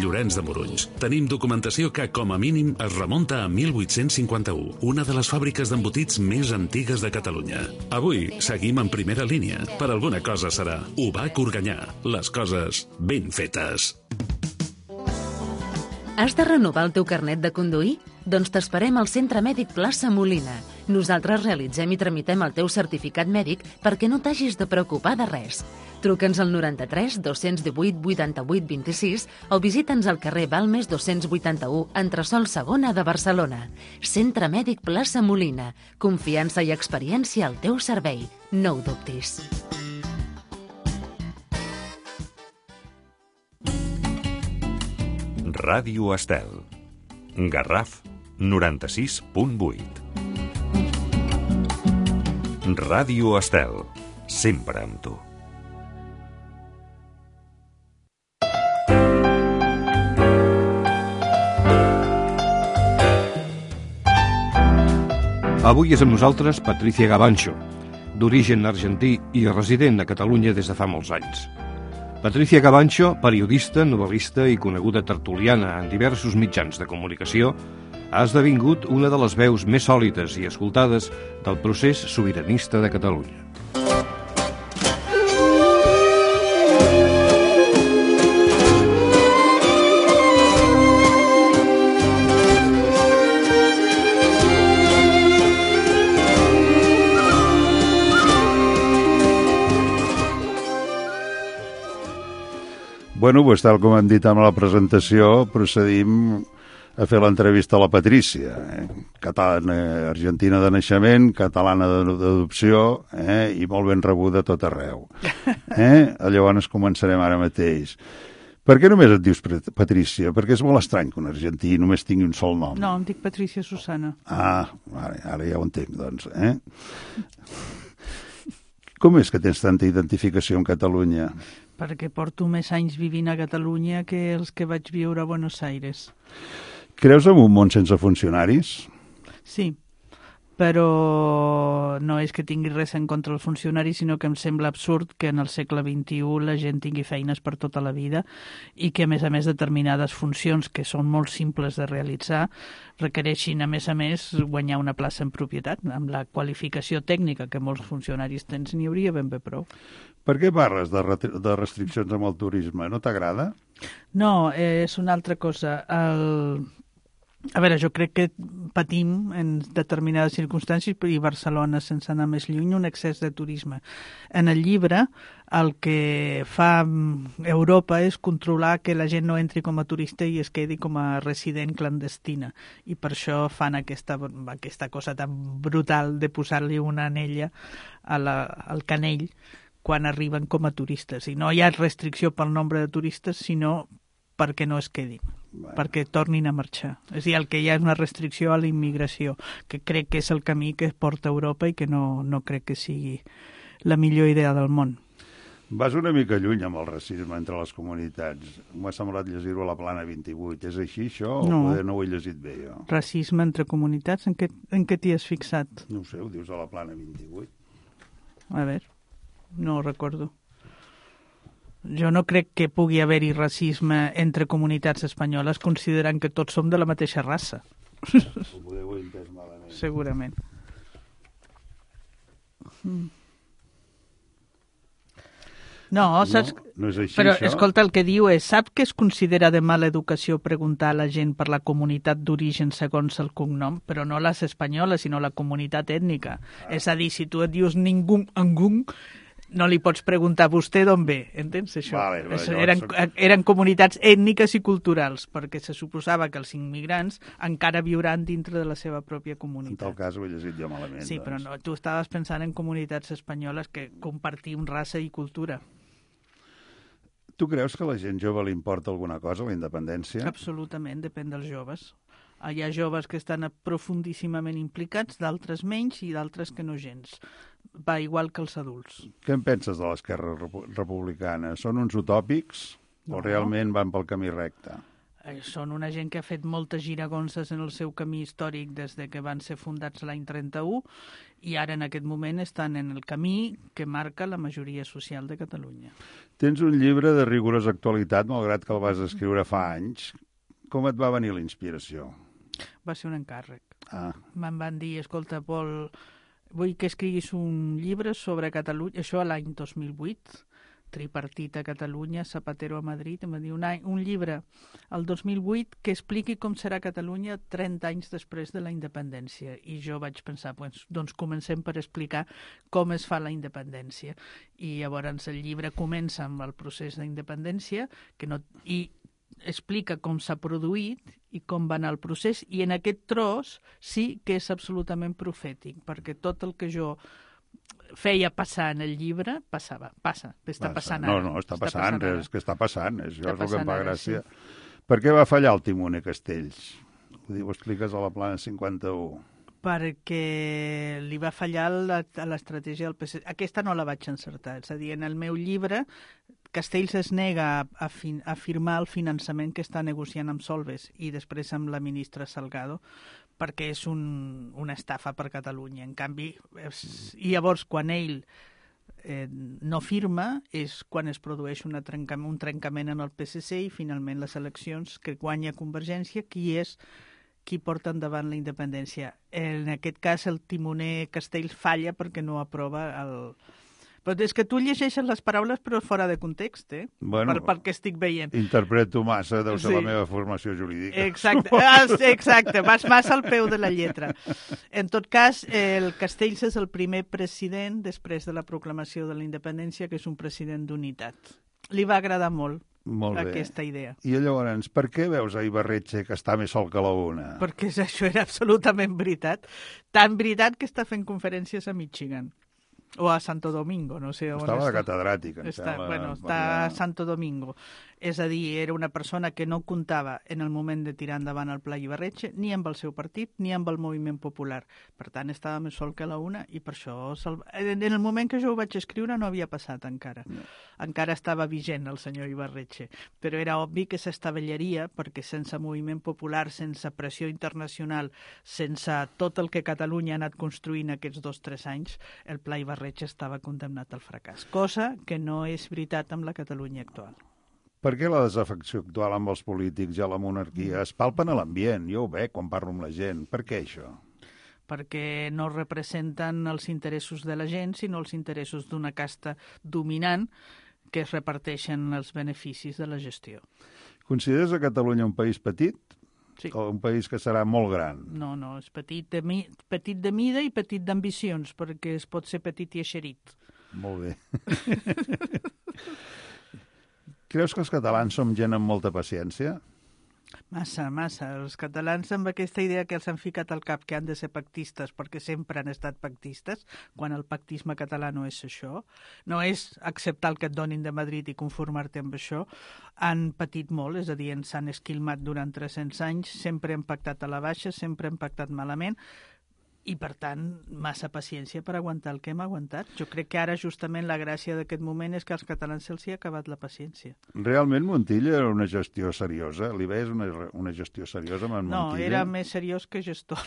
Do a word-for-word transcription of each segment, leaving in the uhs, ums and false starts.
Llorenç de Morunys. Tenim documentació que, com a mínim, es remunta a mil vuit-cents cinquanta-u, una de les fàbriques d'embotits més antigues de Catalunya. Avui seguim en primera línia. Per alguna cosa serà. U B A C Organyà. Les coses ben fetes. Has de renovar el teu carnet de conduir? Doncs t'esperem al Centre Mèdic Plaça Molina. Nosaltres realitzem i tramitem el teu certificat mèdic perquè no t'hagis de preocupar de res. Truca'ns al noranta-tres dos-cents divuit vuitanta-vuit vint-i-sis o visita'ns al carrer Balmes dos-cents vuitanta-u, entresòl segona de Barcelona. Centre Mèdic Plaça Molina. Confiança i experiència al teu servei. No ho dubtis. Ràdio Estel. Garraf noranta-sis punt vuit. Ràdio Estel. Sempre amb tu. Avui és amb nosaltres Patricia Gabancho, d'origen argentí i resident a Catalunya des de fa molts anys. Patricia Gabancho, periodista, novel·lista i coneguda tertuliana en diversos mitjans de comunicació, ha esdevingut una de les veus més sòlides i escoltades del procés sobiranista de Catalunya. Bueno, doncs tal com hem dit amb la presentació, procedim a fer l'entrevista a la Patrícia, eh? Catalana, argentina de naixement, catalana d'adopció, eh? I molt ben rebuda a tot arreu. Eh? Llavors començarem ara mateix. Per què només et dius Patrícia? Perquè és molt estrany que un argentí només tingui un sol nom. No, em dic Patrícia Susana. Ah, ara, ara ja ho entenc, doncs. Eh? Com és que tens tanta identificació amb Catalunya? Perquè porto més anys vivint a Catalunya que els que vaig viure a Buenos Aires. Creus en un món sense funcionaris? Sí, però no és que tingui res en contra dels funcionaris, sinó que em sembla absurd que en el segle vint-i-u la gent tingui feines per tota la vida i que, a més a més, determinades funcions que són molt simples de realitzar requereixin, a més a més, guanyar una plaça en propietat. Amb la qualificació tècnica que molts funcionaris tens n'hi hauria ben bé prou. Per què parles de, de restriccions amb el turisme? No t'agrada? No, eh, és una altra cosa. El... A veure, jo crec que patim en determinades circumstàncies, i Barcelona, sense anar més lluny, un excés de turisme. En el llibre, el que fa Europa és controlar que la gent no entri com a turista i es quedi com a resident clandestina. I per això fan aquesta, aquesta cosa tan brutal de posar-li una anella a la, al canell quan arriben com a turistes. I no hi ha restricció pel nombre de turistes, sinó perquè no es quedin, bueno. perquè tornin a marxar. És a dir, el que hi ha és una restricció a la immigració, que crec que és el camí que porta a Europa i que no, no crec que sigui la millor idea del món. Vas una mica lluny amb el racisme entre les comunitats. M'ha semblat llegir-ho a la Plana vint-i-vuit. És així, això? O no. poder no ho he llegit bé, jo? Racisme entre comunitats? En què, en què t'hi has fixat? No ho sé, ho dius a la Plana vint-i-vuit. A veure, no ho recordo. Jo no crec que pugui haver-hi racisme entre comunitats espanyoles, considerant que tots som de la mateixa raça. Ho podeu entès malament. Segurament. Mm. No, saps... No, no és així, però, això? escolta, el que diu és, sap que es considera de mala educació preguntar a la gent per la comunitat d'origen segons el cognom, però no les espanyoles, sinó la comunitat ètnica. Ah. És a dir, si tu et dius ningú, angún, no li pots preguntar a vostè d'on ve, entens això? Vale, vale, eren, soc... eren comunitats ètniques i culturals, perquè se suposava que els immigrants encara viuran dintre de la seva pròpia comunitat. En tal cas ho he llegit jo malament. Sí, doncs. però no, tu estaves pensant en comunitats espanyoles que compartim raça i cultura. Tu creus que a la gent jove li importa alguna cosa, la independència? Absolutament, depèn dels joves. Hi ha joves que estan profundíssimament implicats, d'altres menys i d'altres que no gens. Va igual que els adults. Què en penses de l'esquerra republicana? Són uns utòpics no. o realment van pel camí recte? són una gent que ha fet moltes giragonses en el seu camí històric des de que van ser fundats l'any trenta-u i ara en aquest moment estan en el camí que marca la majoria social de Catalunya. Tens un llibre de rigorosa actualitat, malgrat que el vas escriure fa anys. Com et va venir la inspiració? Va ser un encàrrec. Ah. Me'n van dir, escolta, Pol, vull que escriguis un llibre sobre Catalunya, això a l'any dos mil vuit, tripartit a Catalunya, Zapatero a Madrid, em va dir un, any, un llibre el dos mil vuit que expliqui com serà Catalunya trenta anys després de la independència. I jo vaig pensar, pues, doncs comencem per explicar com es fa la independència. I llavors el llibre comença amb el procés d'independència que no, i explica com s'ha produït i com va anar el procés, i en aquest tros sí que és absolutament profètic, perquè tot el que jo feia passar en el llibre, passava, passa, està passa. passant no, ara. No, està, està passant, passant és que està passant, és, està és el que em fa gràcia. Sí. Per què va fallar el timoner Castells? Ho, diu, ho expliques a la plana cinquanta-u. Perquè li va fallar la, a l'estratègia del P S C. Aquesta no la vaig encertar, és a dir, en el meu llibre Castells es nega a, a, fin, a firmar el finançament que està negociant amb Solbes i després amb la ministra Salgado, perquè és un, una estafa per Catalunya. En canvi, és, i llavors quan ell eh, no firma és quan es produeix una trenca, un trencament en el P S C i finalment les eleccions que guanya Convergència, qui és qui porta endavant la independència. En aquest cas el timoner Castells falla perquè no aprova el... Però és que tu llegeixes les paraules però fora de context, eh? Bueno, per, pel que estic veient. Interpreto massa, deu ser Sí. la meva formació jurídica. Exacte, ah, exacte, vas massa al peu de la lletra. En tot cas, el Castells és el primer president després de la proclamació de la independència, que és un president d'unitat. Li va agradar molt, Molt bé. aquesta idea. I llavors, per què veus a Ibarretxe que està més sol que la una? Perquè això era absolutament veritat. Tan veritat que està fent conferències a Michigan. O a Santo Domingo, no sé on Estava de està. catedràtic, em Està, sembla. bueno, està a Santo Domingo. És a dir, era una persona que no comptava en el moment de tirar endavant el Pla Ibarretxe, ni amb el seu partit, ni amb el moviment popular. Per tant, estava més sol que la una i per això... En el moment que jo ho vaig escriure no havia passat encara. No. Encara estava vigent el senyor Ibarretxe. Però era obvi que s'estavellaria perquè sense moviment popular, sense pressió internacional, sense tot el que Catalunya ha anat construint aquests dos o tres anys, el Pla Ibarretxe estava condemnat al fracàs. Cosa que no és veritat amb la Catalunya actual. Per què la desafecció actual amb els polítics i a la monarquia es palpen a l'ambient? Jo ho veig quan parlo amb la gent. Per què això? Perquè no representen els interessos de la gent, sinó els interessos d'una casta dominant que es reparteixen els beneficis de la gestió. Consideres a Catalunya un país petit? Sí. O un país que serà molt gran? No, no, és petit de, mi, petit de mida i petit d'ambicions, perquè es pot ser petit i eixerit. Molt bé. Creus que els catalans som gent amb molta paciència? Massa, massa. Els catalans amb aquesta idea que els han ficat al cap que han de ser pactistes perquè sempre han estat pactistes, quan el pactisme català no és això, no és acceptar el que et donin de Madrid i conformar-te amb això, han patit molt, és a dir, ens han esquilmat durant tres-cents anys, sempre han pactat a la baixa, sempre han pactat malament, i, per tant, massa paciència per aguantar el que hem aguantat. Jo crec que ara, justament, la gràcia d'aquest moment és que als catalans se'ls ha acabat la paciència. Realment Montilla era una gestió seriosa? Li veies una, una gestió seriosa amb en no, Montilla? No, era més seriós que gestor.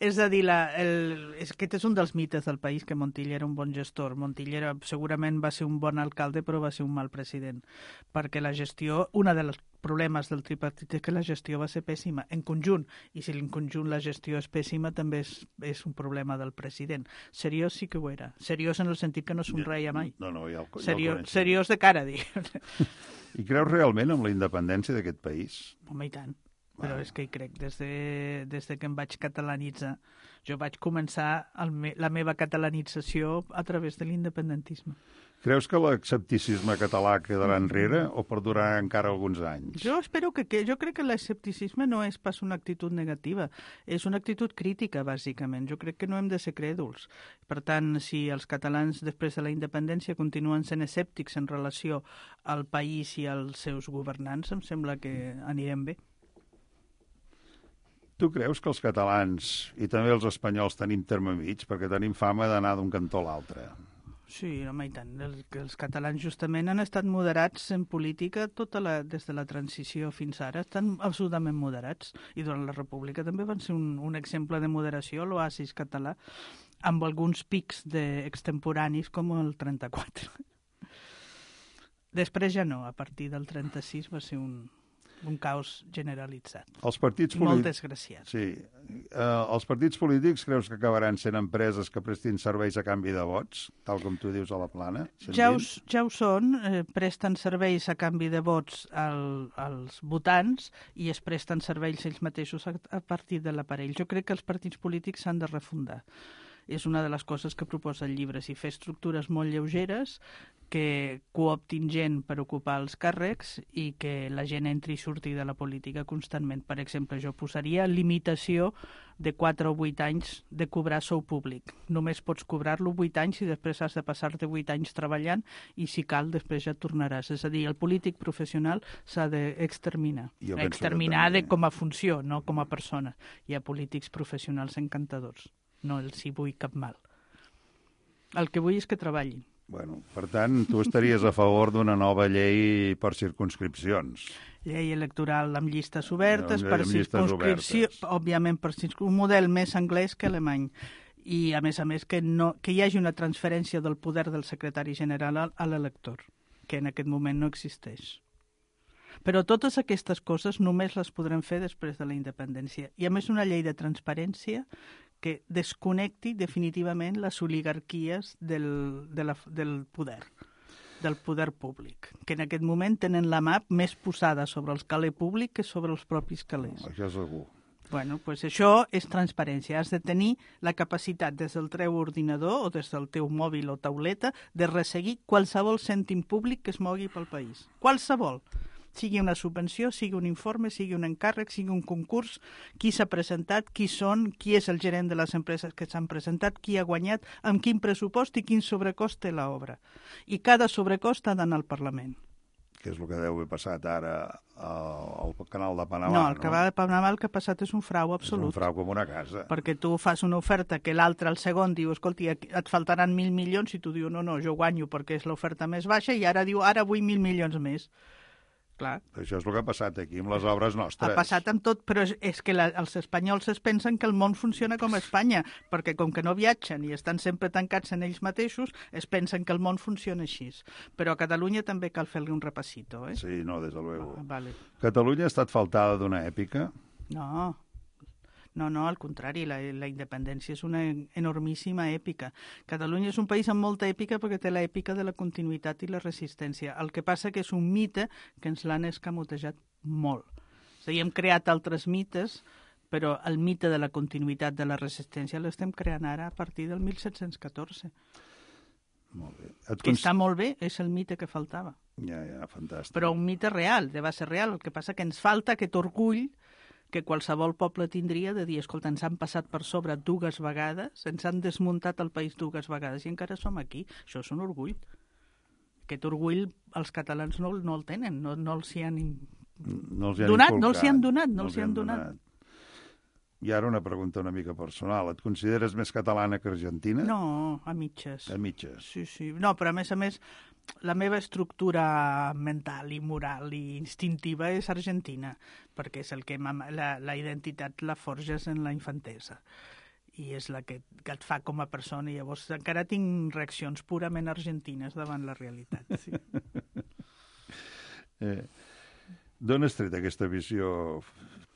És a dir, la, el, és, aquest és un dels mites del país, que Montilla era un bon gestor. Montilla era, segurament va ser un bon alcalde, però va ser un mal president. Perquè la gestió, una de les problemes del tripartit és que la gestió va ser pèssima, en conjunt, i si en conjunt la gestió és pèssima també és, és un problema del president. Seriós sí que ho era. Seriós en el sentit que no somreia mai. No, no, ja el, ja seriós, el seriós de cara, dic. I creus realment en la independència d'aquest país? Home, i tant. Però és que hi crec. Des de, des de que em vaig catalanitzar, jo vaig començar el me, la meva catalanització a través de l'independentisme. Creus que l'escepticisme català quedarà enrere o perdurarà encara alguns anys? Jo espero que... que jo crec que l'escepticisme no és pas una actitud negativa, és una actitud crítica, bàsicament. Jo crec que no hem de ser crèduls. Per tant, si els catalans, després de la independència, continuen sent escèptics en relació al país i als seus governants, em sembla que anirem bé. Tu creus que els catalans i també els espanyols tenim terme mig perquè tenim fama d'anar d'un cantó a l'altre? Sí, home, i tant. El, els catalans justament han estat moderats en política tota la, des de la transició fins ara. Estan absolutament moderats. I durant la República també van ser un, un exemple de moderació, l'oasis català, amb alguns pics de extemporanis com el trenta-quatre. Després ja no, a partir del trenta-sis va ser un, un caos generalitzat. Els partits molt polítics... desgraciat. Sí. Uh, els partits polítics creus que acabaran sent empreses que prestin serveis a canvi de vots, tal com tu dius a la plana? Ja ho, ja ho són, eh, presten serveis a canvi de vots al, als votants i es presten serveis ells mateixos a, a partir de l'aparell. Jo crec que els partits polítics s'han de refundar. És una de les coses que proposa el llibre, si fer estructures molt lleugeres que cooptin gent per ocupar els càrrecs i que la gent entri i surti de la política constantment. Per exemple, jo posaria limitació de quatre o vuit anys de cobrar sou públic. Només pots cobrar-lo vuit anys i després has de passar-te vuit anys treballant i si cal després ja tornaràs. És a dir, el polític professional s'ha d'exterminar. Exterminar de com a funció, no com a persona. Hi ha polítics professionals encantadors. No els hi vull cap mal. El que vull és que treballin. Bueno, per tant, tu estaries a favor d'una nova llei per circumscripcions. Llei electoral amb llistes obertes, no, per amb circumscripció, obertes. òbviament per un model més anglès que alemany. I, a més a més, que, no, que hi hagi una transferència del poder del secretari general a l'elector, que en aquest moment no existeix. Però totes aquestes coses només les podrem fer després de la independència. I a més una llei de transparència que desconnecti definitivament les oligarquies del, de la, del poder, del poder públic, que en aquest moment tenen la mà més posada sobre els calés públics que sobre els propis calés. Això segur. Bueno, pues això és transparència. Has de tenir la capacitat des del teu ordinador o des del teu mòbil o tauleta de resseguir qualsevol cèntim públic que es mogui pel país. Qualsevol. Sigui una subvenció, sigui un informe, sigui un encàrrec, sigui un concurs, qui s'ha presentat, qui són, qui és el gerent de les empreses que s'han presentat, qui ha guanyat, amb quin pressupost i quin sobrecost té l'obra. I cada sobrecost ha d'anar al Parlament. Que és el que deu haver passat ara al canal de Panamà. No, el canal de Panamà el que ha passat és un frau absolut. És un frau com una casa. Perquè tu fas una oferta que l'altre, el segon, diu, escolti, et faltaran mil milions, i tu dius, no, no, jo guanyo perquè és l'oferta més baixa, i ara diu, ara vull mil milions més. Clar. Això és el que ha passat aquí amb les obres nostres. Ha passat amb tot, però és, és que la, els espanyols es pensen que el món funciona com a Espanya, perquè com que no viatgen i estan sempre tancats en ells mateixos, es pensen que el món funciona així. Però a Catalunya també cal fer-li un repassito, eh? Sí, no, des de luego. Ah, vale. Catalunya ha estat faltada d'una èpica? No, no, no, al contrari, la, la independència és una enormíssima èpica. Catalunya és un país amb molta èpica perquè té l'èpica de la continuïtat i la resistència. El que passa que és un mite que ens l'han escamotejat molt. És a dir, hem creat altres mites, però el mite de la continuïtat de la resistència l'estem creant ara a partir del mil set-cents catorze. Molt bé. Et que cons... està molt bé, és el mite que faltava. Ja, ja, fantàstic. Però un mite real, de base real. El que passa que ens falta aquest orgull que qualsevol poble tindria de dir, escolta, ens han passat per sobre dues vegades, ens han desmuntat el país dues vegades i encara som aquí. Això és un orgull. Aquest orgull els catalans no, no el tenen, no, no els hi han, no els hi han donat, inculcat, no els hi han donat, no, no els hi han donat. donat. I ara una pregunta una mica personal. Et consideres més catalana que argentina? No, a mitges. A mitges. Sí, sí. No, però a més a més, la meva estructura mental i moral i instintiva és argentina, perquè és el que la, la identitat la forges en la infantesa i és la que, que et fa com a persona, i llavors encara tinc reaccions purament argentines davant la realitat. Sí. eh, D'on has tret aquesta visió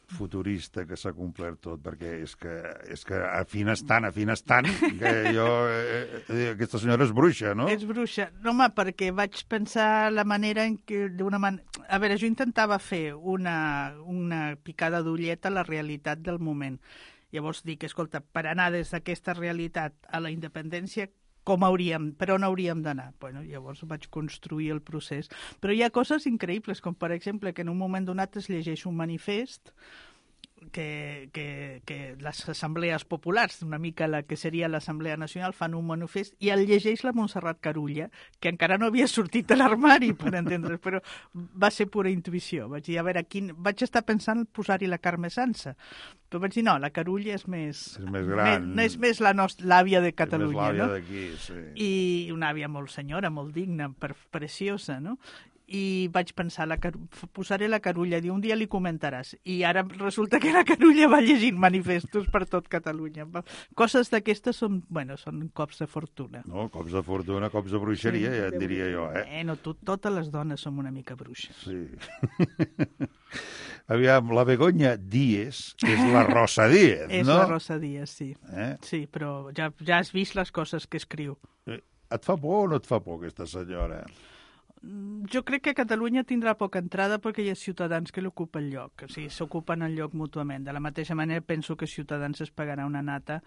futurista que s'ha complert tot? Perquè és que, és que afines tant, afines tant, que jo... Eh, eh, aquesta senyora és bruixa, no? És bruixa. No, home, perquè vaig pensar la manera en què... d'una man... A veure, jo intentava fer una, una picada d'ullet a la realitat del moment. Llavors dic, escolta, per anar des d'aquesta realitat a la independència, com hauríem, per on hauríem d'anar? Bueno, llavors vaig construir el procés. Però hi ha coses increïbles, com per exemple que en un moment donat es llegeix un manifest que, que, que les assemblees populars, una mica la que seria l'Assemblea Nacional, fan un manifest i el llegeix la Montserrat Carulla, que encara no havia sortit de l'armari, per entendre's, però va ser pura intuïció. Vaig dir, a veure, quin... vaig estar pensant posar-hi la Carme Sansa, però vaig dir, no, la Carulla és més... És més gran. Més, és més la nostra, l'àvia de Catalunya, és més l'àvia no? d'aquí, sí. I una àvia molt senyora, molt digna, per, preciosa, no? I vaig pensar, la Car... posaré la Carulla, i un dia li comentaràs. I ara resulta que la Carulla va llegint manifestos per tot Catalunya. Coses d'aquestes són, bueno, són cops de fortuna. No, cops de fortuna, cops de bruixeria, sí, ja et diria jo, eh? Eh, no, tot, totes les dones som una mica bruixes. Sí. Aviam, la Begoña Díez és la Rosa Díez, és no? És la Rosa Díez, sí. Eh? Sí, però ja, ja has vist les coses que escriu. Et fa por o no et fa por, aquesta senyora? Jo crec que Catalunya tindrà poca entrada perquè hi ha ciutadans que l'ocupen el lloc, o sigui, s'ocupen el lloc mútuament. De la mateixa manera penso que Ciutadans es pagarà una nata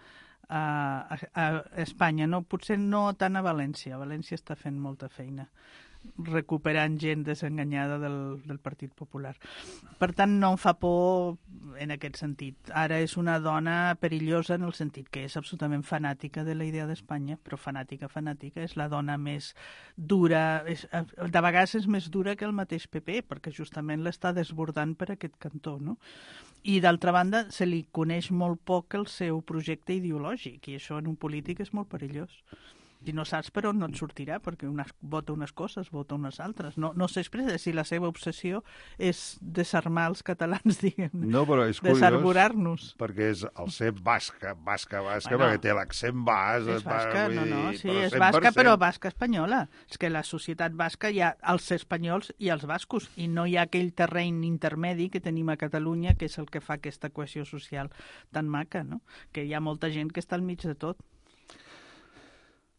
a, a, a Espanya, no, potser no tant a València, València està fent molta feina recuperant gent desenganyada del, del Partit Popular. Per tant, no em fa por en aquest sentit. Ara és una dona perillosa en el sentit que és absolutament fanàtica de la idea d'Espanya, però fanàtica, fanàtica, és la dona més dura, és, de vegades és més dura que el mateix P P, perquè justament l'està desbordant per aquest cantó, no? I d'altra banda, se li coneix molt poc el seu projecte ideològic, i això en un polític és molt perillós. I no saps per on no et sortirà, perquè unes, vota unes coses, vota unes altres. No, no s'expressa si la seva obsessió és desarmar els catalans, diguem, no, però és curiós, desarborar-nos. Perquè és el ser basca, basca, basca, bueno, perquè té l'accent bas. És basca, va, no, no, dir, sí, però és cent per cent. basca, però basca espanyola. És que la societat basca hi ha els espanyols i els bascos, i no hi ha aquell terreny intermedi que tenim a Catalunya, que és el que fa aquesta cohesió social tan maca, no? Que hi ha molta gent que està al mig de tot.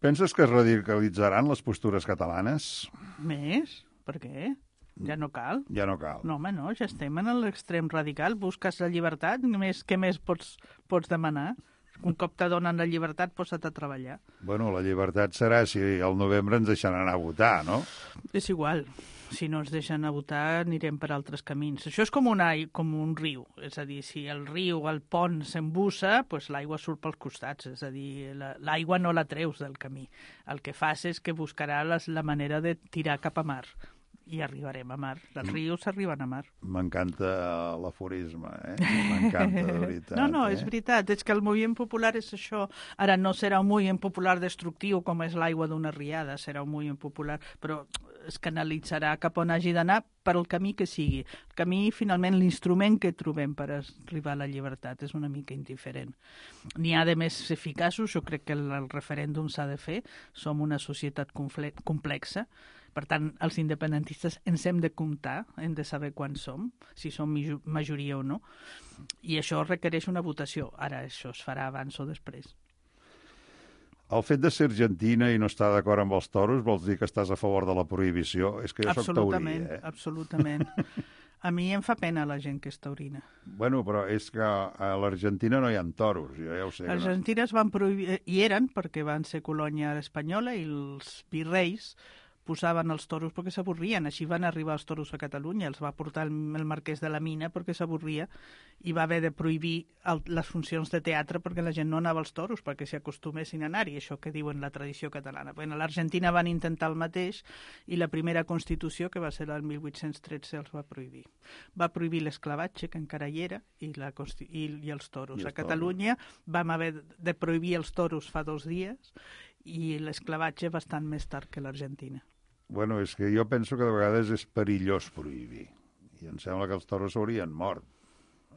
Penses que es radicalitzaran les postures catalanes? Més? Per què? Ja no cal. Ja no cal. No, home, no, ja estem en l'extrem radical. Busques la llibertat, més, què més pots, pots demanar? Un cop te donen la llibertat, posa't a treballar. Bueno, la llibertat serà si al novembre ens deixaran anar a votar, no? És igual. Si no ens deixen a votar, anirem per altres camins. Això és com un, com un riu. És a dir, si el riu, el pont s'embussa, doncs l'aigua surt pels costats. És a dir, l'aigua no la treus del camí. El que fas és que buscarà les, la manera de tirar cap a mar. I arribarem a mar. Els rius arriben a mar. M'encanta l'aforisme, eh? M'encanta, de veritat. No, no, eh? és veritat. És que el moviment popular és això. Ara no serà un moviment popular destructiu com és l'aigua d'una riada, serà un moviment popular, però es canalitzarà cap on hagi d'anar per el camí que sigui. El camí, finalment, l'instrument que trobem per arribar a la llibertat és una mica indiferent. N'hi ha de més eficaços, jo crec que el, el referèndum s'ha de fer. Som una societat complexa. Per tant, els independentistes ens hem de comptar, hem de saber quan som, si som majoria o no, i això requereix una votació. Ara, això es farà abans o després. El fet de ser argentina i no estar d'acord amb els toros vols dir que estàs a favor de la prohibició? És que jo soc taurí, eh? Absolutament. A mi em fa pena la gent que és taurina. Bueno, però és que a l'Argentina no hi ha toros, jo ja ho sé. L'Argentina no... es van prohibir, i eren perquè van ser colònia espanyola, i els virreis posaven els toros perquè s'avorrien. Així van arribar els toros a Catalunya. Els va portar el, el marquès de la Mina perquè s'avorria i va haver de prohibir el, les funcions de teatre perquè la gent no anava als toros perquè s'hi acostumessin a anar-hi, això que diuen la tradició catalana. Bueno, a l'Argentina van intentar el mateix i la primera Constitució, que va ser el mil vuit-cents tretze, els va prohibir. Va prohibir l'esclavatge, que encara hi era, i, la, i, i els toros. I els a Catalunya toros. Vam haver de prohibir els toros fa dos dies i l'esclavatge bastant més tard que l'Argentina. Bueno, és que jo penso que de vegades és perillós prohibir. I em sembla que els toros s'haurien mort.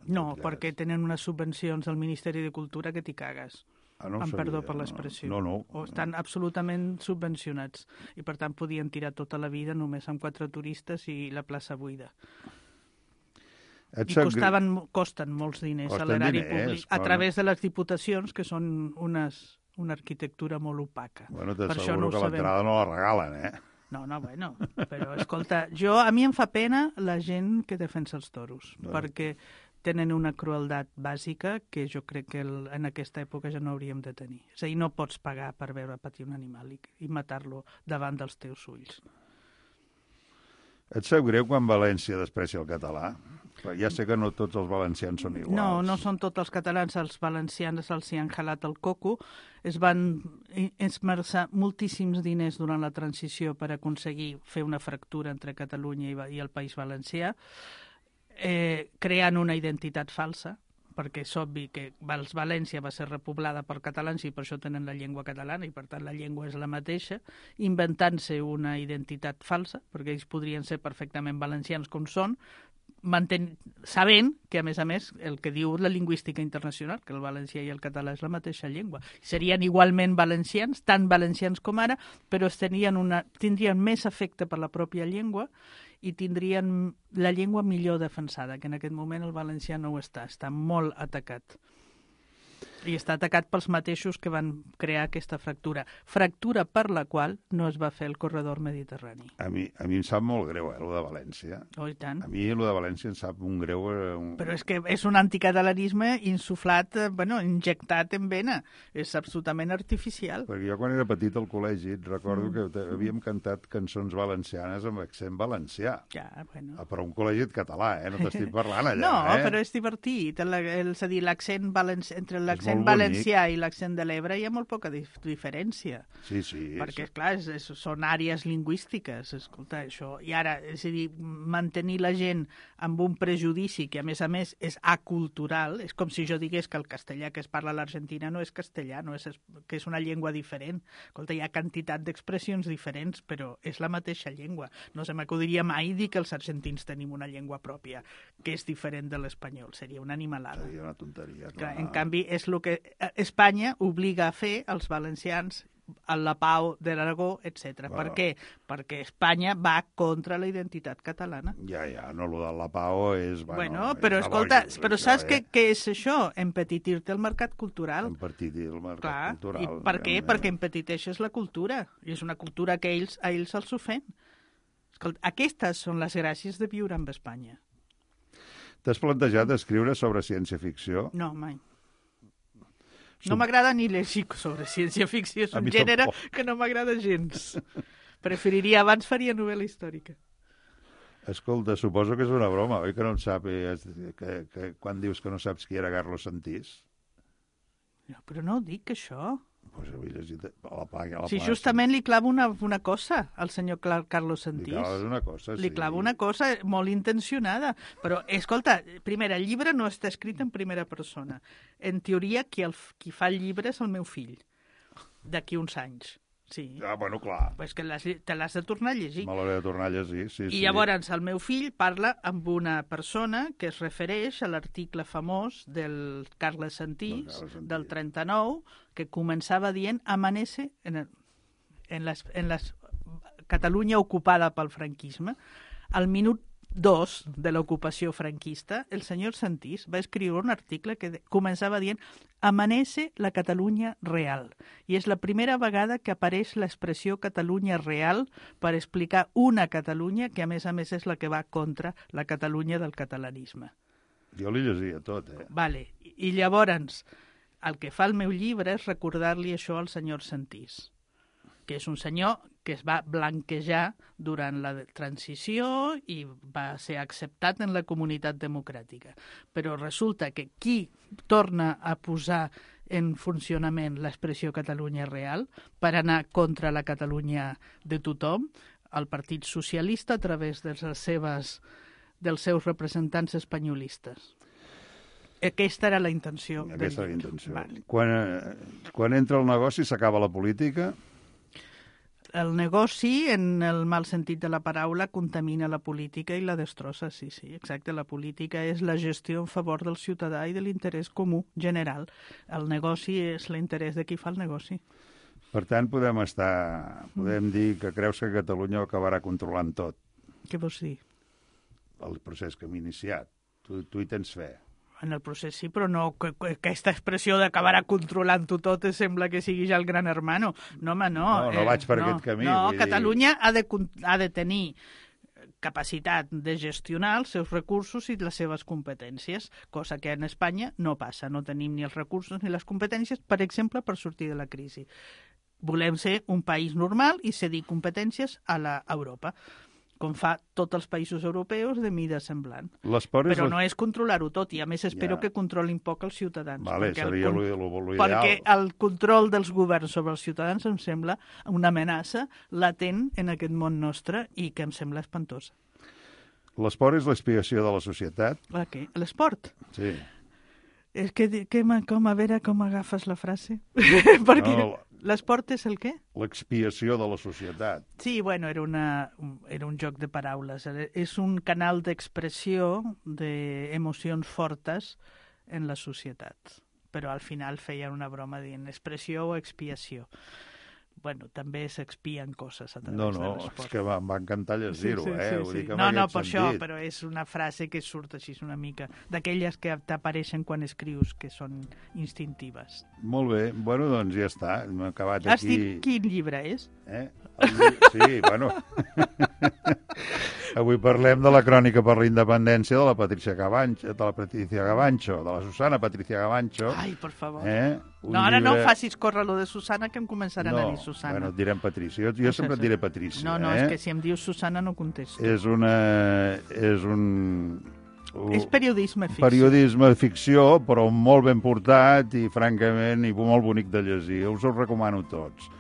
No, perquè tenen unes subvencions del Ministeri de Cultura que t'hi cagues. Ah, no amb sabia, perdó per l'expressió. No, no. O estan no. absolutament subvencionats. I per tant podien tirar tota la vida només amb quatre turistes i la plaça buida. I costaven, costen molts diners costen a l'erari públic a través de les diputacions, que són unes, una arquitectura molt opaca. Bueno, t'asseguro no que l'entrada no la regalen, eh? No, no, bueno, però escolta, jo, a mi em fa pena la gent que defensa els toros, no. perquè tenen una crueldat bàsica que jo crec que el, en aquesta època ja no hauríem de tenir. És a dir, no pots pagar per veure patir un animal i, i matar-lo davant dels teus ulls. Et sap greu quan València desprecia el català? Però ja sé que no tots els valencians són iguals. No, no són tots els catalans, els valencians els hi han jalat el coco, es van esmerçar moltíssims diners durant la transició per aconseguir fer una fractura entre Catalunya i, i el País Valencià, eh, creant una identitat falsa, perquè és obvi que València va ser repoblada per catalans i per això tenen la llengua catalana i per tant la llengua és la mateixa, inventant-se una identitat falsa, perquè ells podrien ser perfectament valencians com són, manten... sabent que, a més a més, el que diu la lingüística internacional, que el valencià i el català és la mateixa llengua. Serien igualment valencians, tan valencians com ara, però tenien una... tindrien més afecte per la pròpia llengua i tindrien la llengua millor defensada, que en aquest moment el valencià no ho està, està molt atacat. I està atacat pels mateixos que van crear aquesta fractura. Fractura per la qual no es va fer el corredor mediterrani. A mi, a mi em sap molt greu, eh, el de València. Oh, i tant. A mi el de València em sap un greu... Eh, un... Però és que és un anticatalanisme insuflat, eh, bueno, injectat en vena. És absolutament artificial. Perquè jo quan era petit al col·legi recordo mm. que havíem cantat cançons valencianes amb accent valencià. Ja, bueno. Però un col·legi català, eh? No t'estic parlant allà, no, eh? No, però és divertit. El, el, és a dir, l'accent valencià, entre l'accent valencià i l'accent de l'Ebre hi ha molt poca dif diferència. Sí, sí. Perquè, és... clar, és, és, són àrees lingüístiques, escolta, això. I ara, és a dir, mantenir la gent amb un prejudici que, a més a més, és acultural, és com si jo digués que el castellà que es parla a l'Argentina no és castellà, no és, que és una llengua diferent. Escolta, hi ha quantitat d'expressions diferents, però és la mateixa llengua. No se m'acudiria mai dir que els argentins tenim una llengua pròpia, que és diferent de l'espanyol. Seria una animalada. Seria una tonteria. Clar, en canvi, és el que Espanya obliga a fer als valencians, a la pau de l'Aragó, etcètera. Bueno. Per què? Perquè Espanya va contra la identitat catalana. Ja, ja, no, lo de la pau és... Bueno, bueno però és escolta, lògic, però això, saps eh? què, què és això? Empetitir-te el mercat cultural. Empetitir el mercat Clar. cultural. I per què? Realment. Perquè empetiteixes la cultura. I és una cultura que ells, a ells els ofèn. Escolta, aquestes són les gràcies de viure amb Espanya. T'has plantejat escriure sobre ciència-ficció? No, mai. No m'agrada ni llegir sobre ciència-ficció, és un gènere tampoc. Que no m'agrada gens. Preferiria, abans faria novel·la històrica. Escolta, suposo que és una broma, oi que no en sàpigues, que, que quan dius que no saps qui era Carlos Santís? No, però no ho dic, això. Pues ho he llegit a la pàgina. Sí, justament li clavo una, una cosa al senyor Carlos Santís. Li claves una cosa, sí. Li clavo una cosa molt intencionada. Però, escolta, primer, el llibre no està escrit en primera persona. En teoria, qui, el, qui fa el llibre és el meu fill, d'aquí uns anys. Sí. Ah, bueno, clar. Pues que te l'has de tornar a llegir. Me l'hauré de tornar a llegir, sí, I sí. llavors el meu fill parla amb una persona que es refereix a l'article famós del Carles Santís, del, Santís. del trenta-nou, que començava dient amanece en, el, en, les, en les Catalunya ocupada pel franquisme. Al minut dos de l'ocupació franquista, el senyor Santís va escriure un article que començava dient amanece la Catalunya real. I és la primera vegada que apareix l'expressió Catalunya real per explicar una Catalunya que, a més a més, és la que va contra la Catalunya del catalanisme. Jo li llegia tot, eh? Vale. I llavors, el que fa el meu llibre és recordar-li això al senyor Santís, que és un senyor que es va blanquejar durant la transició i va ser acceptat en la comunitat democràtica. Però resulta que qui torna a posar en funcionament l'expressió Catalunya real per anar contra la Catalunya de tothom, el Partit Socialista a través de les seves, dels seus representants espanyolistes. Aquesta era la intenció. Aquesta era la intenció. Vale. Quan, eh, quan entra el negoci s'acaba la política? El negoci, en el mal sentit de la paraula, contamina la política i la destrossa, sí, sí, exacte. La política és la gestió en favor del ciutadà i de l'interès comú general. El negoci és l'interès de qui fa el negoci. Per tant, podem estar, podem dir que creus que Catalunya acabarà controlant tot. Què vols dir? El procés que hem iniciat. Tu, tu hi tens fe. En el procés sí, però no que, que aquesta expressió d'acabarà controlant-ho tot sembla que sigui ja el gran hermano. No, home, no. No, no eh, vaig per no, aquest camí. No, vull Catalunya dir... ha, de, ha de tenir capacitat de gestionar els seus recursos i les seves competències, cosa que en Espanya no passa. No tenim ni els recursos ni les competències, per exemple, per sortir de la crisi. Volem ser un país normal i cedir competències a l'Europa. com fa tots els països europeus de mida semblant. L'esport és Però la- no és controlar-ho tot, i a més espero Ja. que controlin poc els ciutadans. Vale, perquè el seria con- lo- lo- lo ideal. Perquè el control dels governs sobre els ciutadans em sembla una amenaça latent en aquest món nostre i que em sembla espantosa. L'esport és l'expiació de la societat? La què? L'esport? Sí. És que, que, com, a veure com agafes la frase. Perquè No, l'esport és el què? l'expiació de la societat. Sí, bueno, era, una, un- era un joc de paraules. Era- És un canal d'expressió d'emocions fortes en la societat. Però al final feien una broma dient expressió o expiació. Bueno, també s'expien coses a través No, de no, l'esport. és que va- em va encantar llegir-ho, eh? Vull dir que en No, no, aquest per això, sentit. però és una frase que surt així una mica, d'aquelles que t'apareixen quan escrius, que són instintives. Molt bé, bueno, doncs ja està, hem acabat Has aquí... dit quin llibre és? Eh? El lli- Sí, bueno... Avui parlem de la crònica per la independència de la Patricia Gavancho, de la Patricia Gavancho, de la Susana Patricia Gavancho. Ai, per favor. Eh? Un No, ara no llibre- facis córrer lo de Susana, que em començaran no, a dir Susana. Bueno, et direm Patricia. Jo, jo sempre et diré Patricia. No, no, eh? és que si em dius Susana no contesto. És una... És un... És periodisme ficció. Periodisme de ficció, però molt ben portat i, francament, i molt bonic de llegir. Us ho recomano tots.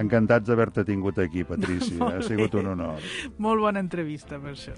Encantats d'haver-te tingut aquí, Patricia. Ha sigut un honor. Molt bona entrevista, per això.